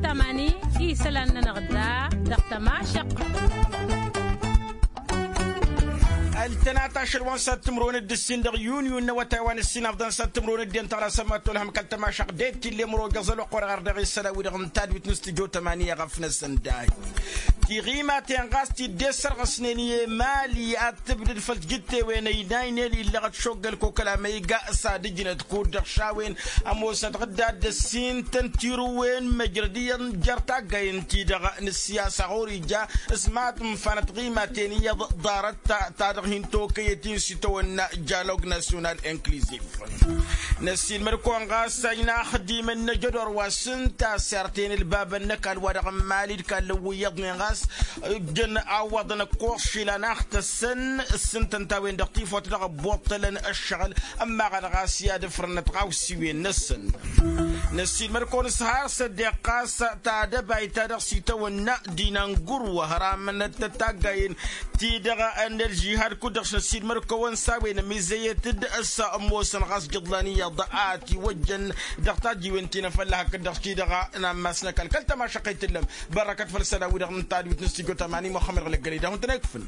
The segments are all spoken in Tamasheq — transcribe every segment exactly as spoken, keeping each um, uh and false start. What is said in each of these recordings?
Tamani isălan-nănăɣ da dăɣ-tămašăq. Ăltănat ašăl wa n-sat timǝrwen d-ǝssin dăɣ-yunyu n-awătay wa n-ǝssin afḍăn sat timǝrwen d-en tăɣlasăm ad-tolhăm kăl-tămašăq d-e t-illa imǝrwen jăẓăl oqqorăɣ ar dăɣ-isălan-wi-dăɣ n-tadwit n-stujo tămani i-ɣăf-năsăn dahi. Tiɣimaten ɣas t-dd-e-ăssărɣăsnen i-emali ad-tǝbdǝd făll-tijǝttewen ăynaynen illăɣăt šoggăl kokăl amăyga s-ad-ǝjnăt kud-dăɣ šawen ămoosnăt ɣǝdda d-ăssin-tăn tirǝwen măjrăd iyyăḍ jer-taggayen-ti-dăɣ n-ăssiyasa ɣur-ija s-mad-ǝnfanăt tiɣimaten iyyăḍ ḍarăt ta-dăɣ hin-tokăyăt-in s-itawănna jalog nasyonal inkliziv. Năssiilmăd-kăwăn ɣas a ina axdimăn n-ajădor wa s-ǝnta s-irten ǝlbabăn n-ăkall wa dăɣ-n mali d-kallăn wi iyyăḍnen ɣas ǝjjăn awăḍăn ăkkoẓ išilan a ăxtăssăn s-ǝntăn ta-wen-dăɣ tifawt dăɣ-ăbbuṭṭălăn ăššăɣǝl. Ămmaɣăn ɣas i-ad-ǝfrănnăt ɣawsiwen-năsăn. Năssiilmăd-kăwăn s-har s-ăddeɣ ɣas tadăbayt ta dăɣ-s itawănna dinangǝrwăh ramănăt taggayen-ti-dăɣ n-ălžihad kud-dăɣ s-năssiilmăd-kăwăn s-a-wen ămizăyăt-dd s-ămoosăn ɣas jǝḍlan iyyăḍ a ătiwăjjăn dăɣ-tajiwen ti n-afălla hakd-dăɣ-ti-dăɣ. N-ammas n-ăkall kăl-tămašăqqăyt tǝllăm bărrăkăt făll-isălan-wi-dăɣ n-tadwit n-stujo tămani muxămmăd ɣǝlăggălăy d-ahun tăn-ekfǝn.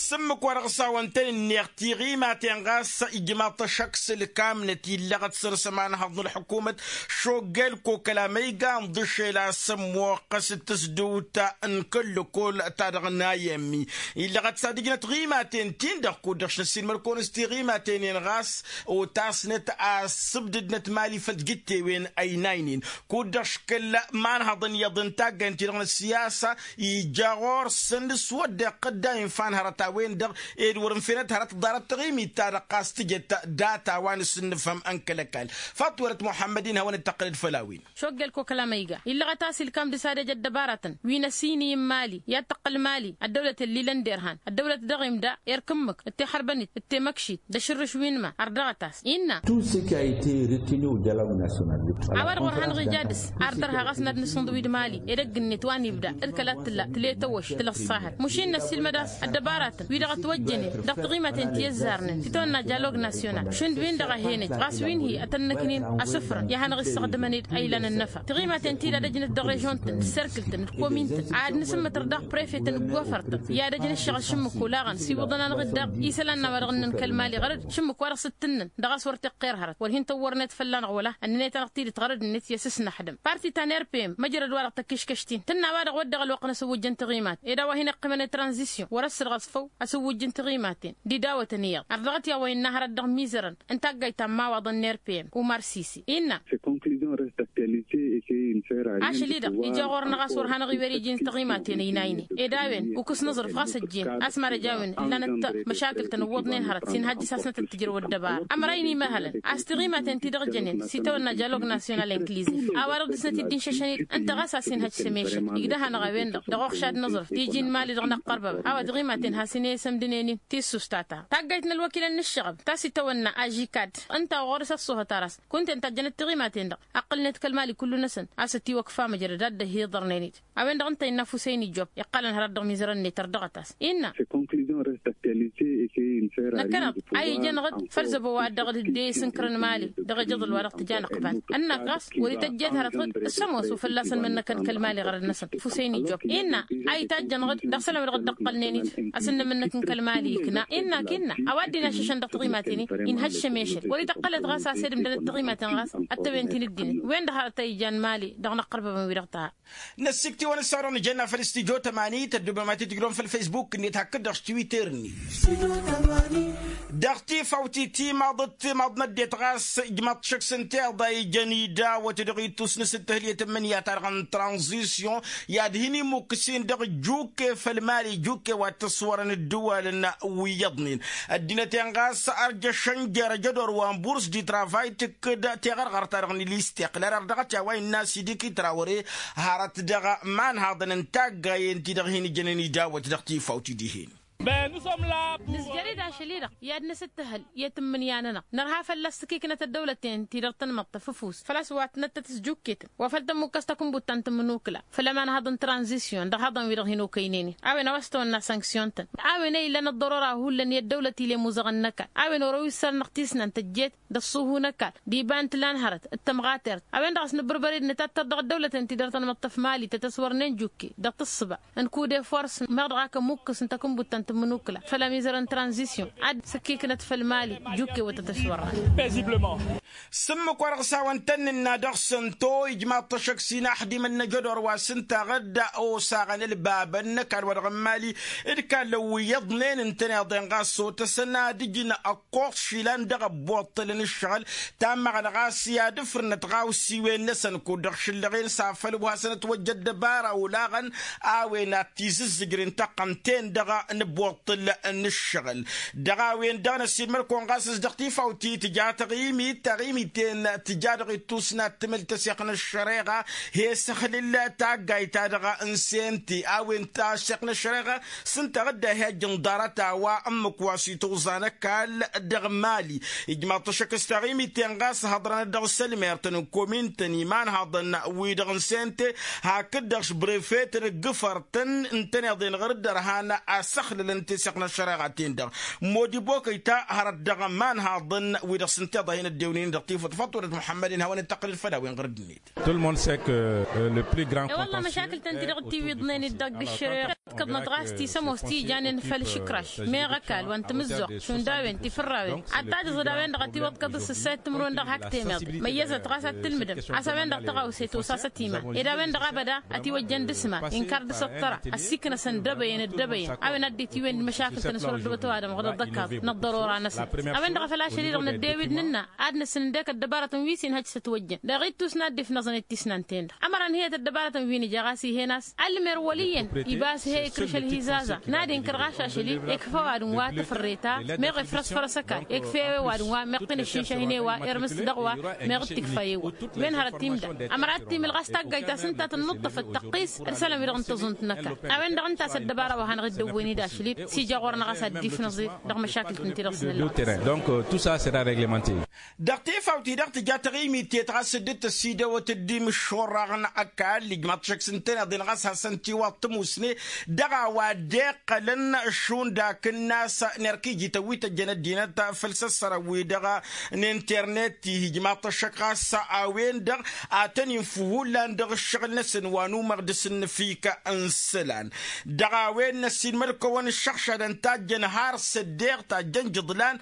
S-ǝmmǝk wa dăɣ-s a-wăn tăn-ǝnneɣ tiɣimaten ɣas ijmaḍ-t ăššăk s-ǝlkamnăt illăɣăt săr-s ămanhăḍ n-ălḥǝkumăt šoggel kokăl amăyga ǝnḍǝšel a-s ămmoqqăs d-tǝsdǝwt n-kăl-lăkol ta dăɣ-nayămmi illăɣăt s-ad-ǝjnăt tiɣimaten-tin-dăɣ kud-dăɣ šnăssiilmăd-kăwăn s-tiɣimaten-en ɣas otasnăt a ăssǝbdǝdnăt mali făll-tijǝttewen ăynaynen kud-dăɣ škăl imanhăḍăn iyyăḍ n-taggayăn-ti-dăɣ n-ăssiyasa ija ɣur-săn s-wădden iqqădday n-fan hărăt a-wen-dăɣ ed wăr-ǝnfenăt hărăt ḍarăt taɣimit-ta-dăɣ ɣas tǝjăt data wa n-asǝnnǝfhăm n-kăl-ăkall. Faṭ wălăt muḥămmăd-in hawăn-dd-tăqqǝlăd făll-a-wen. Šoggel kokăl amăyga illăɣăt a-s ilkam dăr-s ad-ej ăddăbaratăn wi n-ăsinǝy n-mali i-ad-tăqqǝl mali ăddăwlăt ăllilăn derhan ăddăwlăt dăɣ-imda erk ǝmmǝk d-tixărbănit d-temăkšit d-ašǝrrǝš wi n-ma ărdăɣăt-as innă. Tout ce qui a été retenu au dialogue national. A-wa-dăɣ wăr hanăɣ-ija dăr-s ar dăr-ha ɣas n-ad-nǝsǝnḍǝw-dd mali edăgg-net wa n-ibda d-kăla t-tǝlla tǝlet ăwwăš tǝlăssahăt mušin năssiilmăd a-s ăddăbaratăn wi-dăɣ ătwăjjănen dăɣ-tiɣimaten ti ăzzarnen titawănna dialog nasyonal šund-win-dăɣ a hen-ej ɣas wi n-hi-ătănnăknen asǝfrăn i-ad-hanăɣ-issăɣdǝmăn-dd a ilan ănnăfa tiɣimaten-ti-dd ad-ăjnăt dăɣ-režion-tăn d-serkǝl-tăn d-komin-tăn ad-nǝsǝmmătăr daɣ prefetăn d-wăfăr-tăn i-ad-ăjnăt ăššăɣǝl šǝmmǝk olaɣăn s-iwǝḍăn-anăɣ-dd daɣ isălan n-a-wa-dăɣ ǝnnăn kăl-mali ɣărăd šǝmmǝk wa dăɣ-s t-tǝnnăn dăɣ-a-s wăr t-iqqer hărăt wăr hin-tăwwărnet fălla-năɣ wăla ănnănet-anăɣ tidǝt ɣărăd-net i-asǝsnăxdăm parti ta n-rpm măjrăd wa dăɣ-tăkkiškăš-t-in tǝnna a-wa-dăɣ wădden ălwăqq n-asǝwwǝjj n-tiɣimat ed a-wa hin-iqqǝmăn i-tranzisyon wăr-ăssărɣăs făw asǝwwǝjj n-tiɣimaten d-idawătăn iyyăḍ ărdăɣăt i-a-wa innă hărăt dăɣ-imizărăn n-taggayt ta n-imawaḍăn n-rpm umar sisi innă. Ašăl-i-dăɣ ija ɣur-năɣ a-s wăr hanăɣ-iwer iji n-tiɣimaten ăynaynen ed a-wen ukǝs n-aẓrǝf ɣas ăjjeen a-s mad-ăj a-wen ǝllanăt măšakǝl-tăn ǝwwăḍnen hărăt s-inhăjj s-asnăt d-tǝjrăw ăddăbara ămăray n-imăhălăn a-s tiɣimaten-ti-dăɣ jănen s-itawănna jalog nasyonal inklizif a-wa-dăɣ dăr-snăt-dd-inšăšăn-dd ǝnta ɣas a-s inhăjj s-emešăl igdăh-anăɣ a-wen-dăɣ dăɣ-uɣšad n-aẓrǝf tiji n-imali dăɣ-năqqărbăbăn a-wa tiɣimaten has-inhăyăsăm d-ǝnen-in tissust ta-ta taggayt n-ălwăkilăn n-ǝššăɣăb ta s-itawănna ažikad ǝnta ɣur-s ăṣṣuhăt aras kunta ǝnta ăjjănăt tiɣimaten-dăɣ ăqqǝlnet kăl-mali kullu-năsăn a-s ătiwăkfa măjrăd ad-dd-ăhiḍărnen-dd a-wen-dăɣ ǝnta innă fusăyni job iqqălăn hărăt dăɣ-mizărăn-net ărdăɣăt-as innă. Năkkăneḍ a ijănăɣ-dd făll-zăbo wa dăɣ-dd-e-isǝnkărăn mali dăɣ-ejăḍăl wa dăɣ-tǝja năqbal ănnak ɣas wăr-ităjjed hărăt ɣǝd s-ămoos u-fălla-săn mănnăkăn kăl-mali ɣărăd-năsăn fusăyni job innă a itajjănăɣ-dd dăɣ-isălan wa dăɣ-dd-ăqqălnen-dd a-s ǝnnǝmǝnnǝk n-kăl-mali ikna innă akǝnna a-wa dd-inašăšăn dăɣ-tiɣimaten-i inhăššăm ešăl wăr-ităqqălăt ɣas a-s ed ǝmdănăt tiɣimaten ɣas ăttăwen ti n-ǝddinăt wen-dăɣ hărăt a ijan mali dăɣ-inăqqărbăbăn-wi-dăɣ ta. Năssikt'-iwăn ǝssaru n-ijănna făll-stujo tămani tăddubăm ad-t-tǝjrǝwăm făll-faysbuk-net hakd-dăɣ s-twitter-net. Dăɣ-tifawt-i timaḍăt timaḍ n-ăddinăt ɣas ijmaḍ-t šăkk s-ǝnta iḍa ijăn idawăt dăɣ-ittus n-asǝttǝhǝl i-tǝmmǝnǝya-ta-dăɣ n-tranzisyon i-ad-hin-imukǝs-in dăɣ-jukke făll-mali jukke wa t-ăswărăn ǝddǝwalăn wi iyyăḍnen ăddinăt-en ɣas ărjăšăn jer-ajădor wa n-burs di travay tǝkkǝd teɣărɣărt-ta-dăɣ n-ilisteqlal ărdăɣăt i-a-wa innă asidiki trawăre hărăt dăɣ-imanhaḍăn n-taggayen-ti-dăɣ hin-ǝjănen idawăt dăɣ-tifawt-i dihen. Nǝzjăr-dd. Ašăl-i-dăɣ i-ad-năsǝttăhăl i-tǝmmǝnǝya-nănăɣ nărha fălla-s s-ǝkkiknăt ăddăwlăten-ti-dăɣ tăn-imǝṭṭăf ăfuss făl-a-s wa tǝnăttăt s-jukketăn wa făl tămmukkăs takǝnbuttăn tǝmmǝnukǝla făll-ămanhaḍ n-tranzisyon dăɣ-haḍăn-wi-dăɣ hin-okăynen-in a-wen a-wa s-tăwănna sanksyon-tăn. A-wen a ilan ăḍḍărora hullan i-ăddăwlăt ile imuzăɣăn n-ăkall a-wen orăw issărnăɣ tisnant ăjjeet d-ăṣṣuhu n-ăkall d-iba n-tǝla n-hărăt d-tămɣatert. A-wen-dăɣ a-s nǝbbărbăr-dd nǝtattăr dăɣ-ăddăwlăten-ti-dăɣ tăn-imǝṭṭăf mali tăt-ăswărnen jukke dăɣ-tǝssǝba n-kude fors meɣ dăɣ-ak ămukkǝs n-takǝnbuttăn tǝmmǝnukǝla făll-amizăr n-tranzisyon ad-sǝkkiknăt făll-mali jukke wa tăt-ăswărnen. S-ǝmmǝk-wa-dăɣ s-hawăn-tăn-nǝnna dăɣ-sănto ijmaḍ-t ăššăk s-inaxdimăn n-ajădor wa s-ǝnta ɣǝdda osaɣăn ălbabăn n-ăkall-wa-dăɣ n-mali d-kallăn wi iyyăḍnen ǝntăneḍ-en ɣas s-otăsăn ad-ǝjǝn ăkkoẓ išilan dăɣ-ăbbuṭṭǝl n-ǝššăɣǝl. Tammăɣăn ɣas i-ad-ǝfrǝnăt ɣawsiwen-năsăn kud-dăɣ šǝllăɣen s-afăl wa hasăn-ătwăjja ăddăbara olaɣăn a-wen ad-t-izǝzzǝjrǝn tăqqăn-ten-dăɣ n-ăbbuṭṭǝl n-ǝššăɣǝl. Dăɣ-a-wen-dăɣ năssiinmăr-kăwăn ɣas s-dăɣ tifawt-i tǝja taɣimit taɣimit-en tǝja dăɣ-ittus n-ad-tǝmǝl tăseɣt n-ăššăreɣa he-săxlǝl taggayt-ta-dăɣ n-sente a-wen taseɣt n-ăššăreɣa s-ǝnta ɣǝdda he-ajjăn ḍarăt a-wa ǝmmǝk wa s-itwǝẓa n-ăkall dăɣ-mali. Ijmaḍ-t ăššăk s-taɣimit-en ɣas hăḍrănăt dăɣ-sălmert n-komintăn imanhaḍăn-wi-dăɣ n-sente hakd-dăɣ s-brefet n-ǝggǝfăr-tăn ǝntăneḍ-en ɣur-dd ărhan asăxlǝl n-teseɣt n-ăššăreɣa-ten-dăɣ. Modi bokăy ta hărăt dăɣ-imanhaḍăn-wi-dăɣ s-ǝnta iḍa hin-ăddewnen dăɣ-tifăḍ făṭṭurăt muḥămmăd-in hawăn-dd-tăqqǝlăd făll-a-wen ɣur-dd-net. Tout le monde sait que le plus grand contentieux est autour de la question de la. E-wălla măšakǝl-tăn-ti-dăɣ tiwǝḍnen-dd dăɣ-dd-ǝššăreɣ. Kăḍnăt ɣas ti s-ămoos ti ijanen făll-išǝkraš meɣ ăkall wa n-tamǝzzuɣt šund a-wen tifărrawen ad-tajǝẓ d-a-wen-dăɣ ătiwăḍkăḍ s-ǝssayăt timǝrwen dăɣ-hak temeḍe măyyăzăt ɣas ad-tǝlmǝdăm a-s a-wen-dăɣ tăɣawse tosa s-ătiman ed a-wen-dăɣ abăda ătiwăjjăn d-asǝma inkar dăɣ-s ăṭṭăra ăssiiknăsăn d-ebăyăn d-ebăyăn a-wen ad-dd-itiwǝyăn d-măšakǝl-tăn s-wăr ăddăwăt ăwadǝm ɣǝdăḍ ăkall n-ăḍḍărora-năsăn. A-wen-dăɣ a făl ašăl-i-dăɣ năddewǝd nǝnna ad-nǝsǝn ǝndek ăddăbarătăn wi s-inhăj s-ătwăjjăn dăɣ-ittus n-ad-dd-ifnăẓăn d-tisnan-ten-dăɣ ămăra ǝnhǝyăt ăddăbarătăn wi nǝja ɣas ih'-en a-s ălmer wăl' iyyăn iba a-s he-ikrǝš ălhizaza n-ad-inkăr ɣas ašăl-i. Ikfa ăwadǝm wa tafărreta meɣ ifrăsfărăs ăkall ikfa ewe ăwadǝm wa meɣ tinǝššǝnšăh-in ewa irmǝs dăɣ-wa meɣ d-tikfa ewa. Wen hărăt timda ămăra ad-timǝl ɣas taggayt ta s-ǝnta tănnuṭṭăfăt tăqqis d-isălan-wi-dăɣ n-tăẓunt n-ăkall. A-wen-dăɣ ǝnta a-s ăddăbara wa hanăɣ-dd-ăwwen-dd ašăl-dd s-ija ɣur-năɣ a-s ad-dd-ifnăẓ-dd dăɣ-măšakǝl-tăn-ti-dăɣ s-nǝlla. Donc tout ça sera réglementé. Dăɣ-tifawt-i-dăɣ tǝja taɣimit-et ɣas dd-tăsidăwăt dd-imǝššurraɣ n-ăkall ijmaḍ-t šăkk s-ǝntăneḍ-in ɣas hasăn-t-iwaḍ tămusne dăɣ-a-wa dd-iqqălăn šund akǝnnas n-erk ijităn wi tăjjăn ăddinăt făll-săssărăn-wi-dăɣ n-internet-i ijmaḍ-t ăššăk ɣas a-wen-dăɣ a tăn-infǝw hullan dăɣ-ǝššăɣǝl-năsăn wa număɣ dăr-s ǝnnǝfik n-isălan. Dăɣ-a-wen năssiinmăd-kăwăn ǝššăɣšadăn tajjăn har s-ăddeeɣ tajjăn jǝḍlan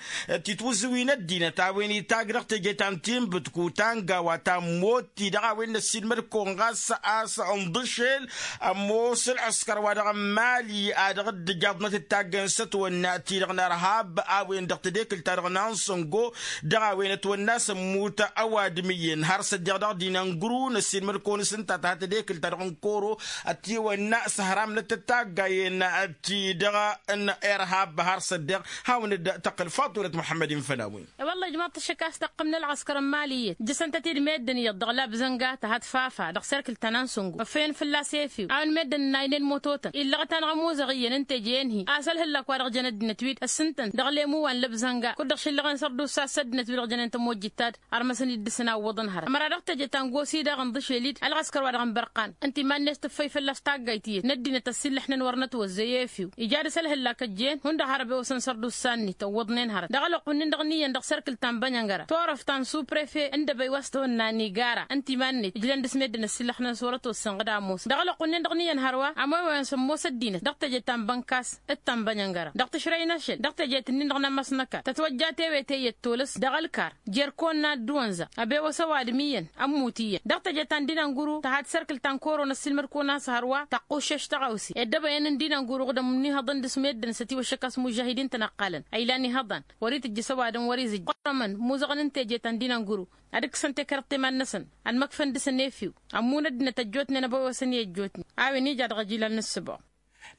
titwǝzǝwin ăddinăt a-wen itajj dăɣ-teje ta n-tinbǝtku ta n-gawa ta n-motti dăɣ-a-wen năssiinmăd-kăwăn ɣas a-s ǝnḍǝšel ămoos ălɣǝskăr wa dăɣ-n mali a dăɣ-dd-ǝjaḍnăt d-taggăyăn s-ătwănna ti-dăɣ n-ărhab a-wen-dăɣ tedekǝlt-ta-dăɣ n-ansăngo. Dăɣ-a-wen ătwănna a-s ămmut ăwadǝm iyyăn har s-ăddeeɣ dăɣ-dinăngru năssiinmăd-kăwăn s-ǝnta ta tedekǝlt-ta-dăɣ n-koro ătiwănna s-ăhramnăt d-taggayen ti-dăɣ n-irhab har s-ăddeeɣ. Hawăn-dd-tăqqǝl faḍulăt muḥămmăd-in făll-a-wen. E-wălla ijmaḍ-t ăššăk a-s tăqqǝm n-ălɣăskăr n-mali iyyăt jăsăn-tăt-dd meddǝn iyyăḍ dăɣ-labzănga tăhat fafa dăɣ-serkǝl ta n-ansǝngo ăffăyăn fălla-s efew a-wen meddǝn ǝnnaynen mototăn illăɣăt-anăɣ ămuzăɣ iyyăn ǝnta eje enhi a-s ălhǝllak wa dăɣ-jăn ăddinăt-wi-dd ăssintăn dăɣ-lemu wa n-lăbzănga kud-dăɣ šǝllăɣen sărdus a-s ăddinăt-wi-dăɣ jănen tămojjit-ta-dd. Ărmăsăn-dd dăr-săn a ǝwwăḍăn hărăt ămăra dăɣ-teje ta n-gosi daɣ ǝnḍǝšel-dd ălɣăskăr wa dăɣ-n bărqan ǝnta iman-net tǝffăy fălla-s taggayt iyyăt n-ăddinăt ăssiillăḥnen wăr nătwăzzăy efew. Ija dăr-s ălhǝllak ăjjeen hundăɣ har ăbewăsăn sărdusa-net ăwwăḍnen hărăt dăɣ-ălwăqq-wǝnnin-dăɣ n-iyyăn dăɣ-serkǝl ta n-bănyăngăra turăft ta n-suprefe n-dăbăy wa s-tăwănna n-igara ǝnta iman-net ǝjlăn dăr-s meddǝn ăssiillăxnen s-wăr-ătwăssăn ɣǝd ămoos dăɣ-ălwăqq-wǝnnin-dăɣ n-iyyăn hărwa ămoy wa ămoos ăddinăt dăɣ-teje ta n-bănkas d-ta n-bănyăngăra dăɣ-tǝšrăy n-ašăl dăɣ-teje tǝnnin-dăɣ n-amăsnăkal tătwăjja tewete i-ăttolăs dăɣ-ălkar jerkon n-ad-dd-wănza ăbewăs ăwadǝm iyyăn ămmut iyyăn dăɣ-teje ta n-dinănguru tăha d-sărkǝl ta n-koro n-ăssiilmăd-kăwăn a-s hărwa tăqquššeš tăɣawse ed dăbăyăn n-dinănguru ɣǝdăm n-ihăḍăn dăr-s meddǝn s-ătiwăššăk a-s mužžahidin-tăn ǝqqălăn a ilan ihăḍan wăr-itǝjjǝs ăwadǝm wăr-izǝjj ɣur-ămăn muzăɣăn n-teje ta n-dinănguru ad-ǝkkǝsăn tekrăḍt i-iman-năsăn ănmăkfăn dăr-săn efew ămmun ăddinăt ăjjootnen ăbăwăsăn i-ăjjootnen a-wen ija dăɣ-ăjilal n-ǝssǝbɣu.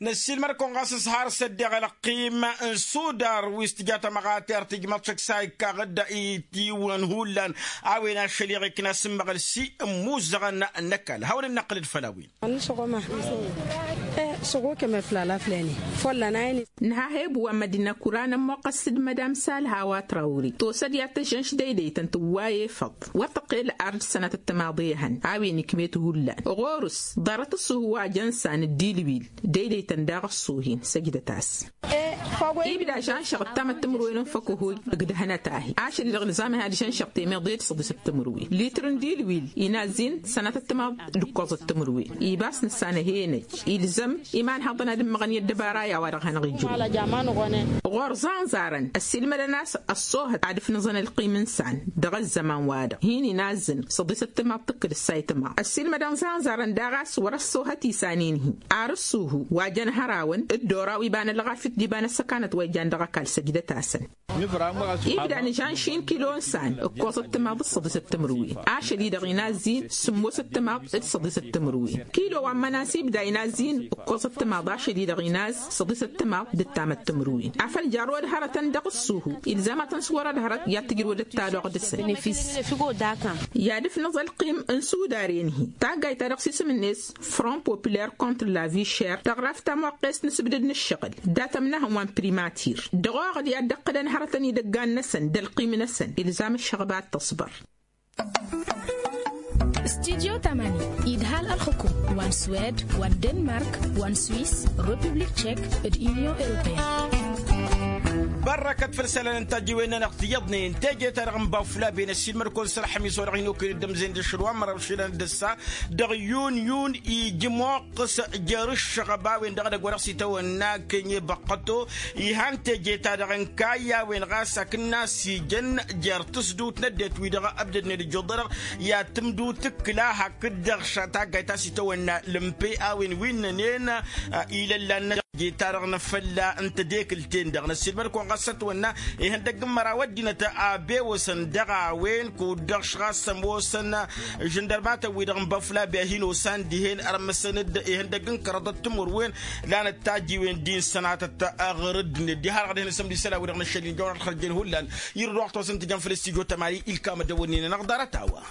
Năssiilmăd-kăwăn ɣas s-har s-ăddeɣ ălăqqim n-sudar wi s-tǝja tamăɣatert ijmăḍ šăkk s-a ikkaɣ-dd itiwăn hullan a-wen ašăl-i ɣikna s-ǝmmăɣăl s-i ǝmmuzăɣăn n-ăkall hawăn-dd-năqqǝlăd făll-a-wen. S-ăɣokăm eflal aflăne fălla n-a-in. Nǝha hebǝw wa n-mădina kura n-ămmoqqăs d-mădam salha wa trawri tosăd i-ad-tăžžănš deydăytăn tǝwwa efăḍ wa tăqqel ard sănatăt timaḍ ehăn a-wen ikmet hullan ɣur-s ḍarăt ăṣṣuhu wa jăn san d-ilwil deydăytăn daɣ ăṣṣuhin săjdăt-as. Ibda žanšăɣ d-tamăt timǝrwen n-făkăhuy ǝgdăhăn ătahi ašăl-i-dăɣ ilzam ihad žanšăɣ temeḍe d-săḍisăt timǝrwen litr n-dilwil inazzin sănatăt timaḍ d-ǝkkoẓăt timǝrwen ibas nǝssan ăhenăj ilzăm imanhăḍăn ad-ǝmmăɣăn i-ăddăbara i-a-wa-dăɣ hanăɣ-ijrǝw. Ɣur-zanzarăn ăssiilmădăn a-s ăṣṣoohăt ad-ǝfnǝẓăn ălqim n-isan dăɣ-ăzzăman-wa-dăɣ hin-inazzǝn săḍisăt timaḍ tǝkkǝl ǝssay timaḍ ăssiilmădăn zanzarăn daɣ a-s wăr-ăṣṣoohăt isan-in-hi ar ăṣṣuhu wa jăn hărawăn d-oraw iba n-ălɣafyăt d-iba n-ăssăkanăt wa ijan dăɣ-ăkall săjdăt-asăn. Ibda nǝžan šin kilo n-isan ǝkkoẓăt timaḍ d-săḍisăt timǝrwen ašăl-i-dăɣ inazz-in sǝmmosăt timaḍ d-săḍisăt timǝrwen kilo wa n-mănas ibda inazz-in ǝkkoẓăt timaḍ ašăl-i-dăɣ inazz săḍisăt timaḍ d-ǝttamăt timǝrwen afăl jarrăwăd hărătăn dăɣ-ǝṣṣuhu ilzam ad-tăn-s wărăd hărăt i-ad-tǝjrǝwăd ăttaloɣ dăɣ-săn. I-ad-ǝfnǝẓ ălqim n-sudaren-hi taggayt ta dăɣ-s isǝm-net front populaire contre la vie chère tăɣraft tamoqqest n-asǝbdăd n-ǝššăɣǝl dat-ămnahăn wa n-primatir dăɣ-oɣăd i-ad-dd-ăqqălăn hărătăn idăggan-năsăn d-ălqim-năsăn ilzam ăššăɣba ad-tăṣbăr. Studyo tamani idhal ălxukum wa n-swed wa n-denmark wa n-swiss, republik tchek d-union européenne. Bărrăkăt făll-isălan n-tajjiwen-nănăɣ tiyyăḍnen teje-ta-dăɣ n-baflaben ăssiilmăd-kăwăn s-ălxămis wa dăɣ-hin-okăyăn d-ămzăyăn d-ašăl wa n-măraw išilan d-ăssa dăɣ-yun yun ija ămoqqăs jer-ǝššăɣăb a-wen-dăɣ edăgg wa dăɣ-s itawănna kănye băqqăto. Ihan teje-ta-dăɣ n-kayy a-wen ɣas hakd n-a-s ijăn jer-tǝsdut n-ăddinăt-wi-dăɣ ăbdădnen ǝjjuḍ-dăɣ i-ad-tǝmdut ǝkkǝla hakd-dăɣ taggayt ta s-itawănna lǝmpe a-wen wi ǝnnănen. Ilăllan n-teje-ta-dăɣ n-afălla n-tedekǝlt-en-dăɣ năssiilmăd-kăwăn ɣas ătwănna ihăndăgg n-măraw ăddinăt a bewăsăn dăɣ-a-wen kud-dăɣ š-ɣas ămoosăn žăndărmatăn-wi-dăɣ n-băflabi a hin-osan dihen ărmăsăn-dd ihăndăgg n-kăraḍăt timǝrwen. Lanăt tajjiwen din sănatăt aɣrǝd-net diha-dăɣ dihen asămd isălan-wi-dăɣ n-ašăl-in jăwăn ad-xărjen hullan. Irǝd wa ɣ-tosăn tǝjăn făll-studyo tămani ilkam ad-dăwănnin-anăɣ ḍarăt-a-wa.